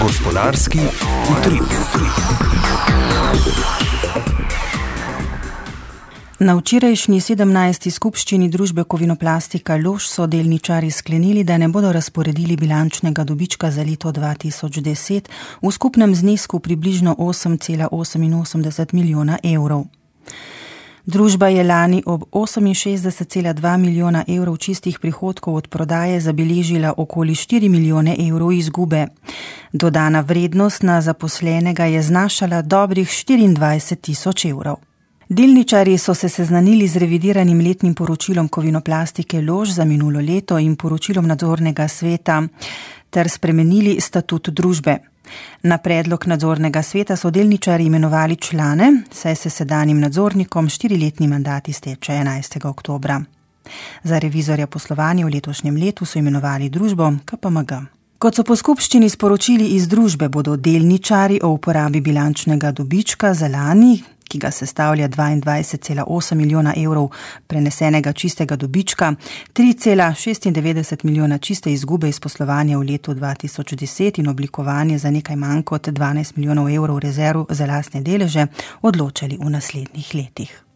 Gospodarski utrip. Na včerajšnji 17. skupščini družbe Kovinoplastika Lož so delničarji sklenili, da ne bodo razporedili bilančnega dobička za leto 2010 v skupnem znesku približno 8,88 milijona evrov. Družba je lani ob 68,2 milijona evrov čistih prihodkov od prodaje zabeležila okoli 4 milijone evrov izgube. Dodana vrednost na zaposlenega je znašala dobrih 24 tisoč evrov. Delničarji so se seznanili z revidiranim letnim poročilom Kovinoplastike Lož za minulo leto in poročilom nadzornega sveta ter spremenili statut družbe. Na predlog nadzornega sveta so delničarji imenovali člane, saj se sedanjim nadzornikom 4-letni mandat izteče 11. oktobra. Za revizorja poslovanja v letošnjem letu so imenovali družbo KPMG. Kot so po skupščini sporočili iz družbe, bodo delničarji o uporabi bilančnega dobička za lani, ki ga sestavlja 22,8 milijona evrov prenesenega čistega dobička, 3,96 milijona čiste izgube iz poslovanja v letu 2010 in oblikovanje za nekaj manj kot 12 milijonov evrov rezerv za lastne deleže, odločali v naslednjih letih.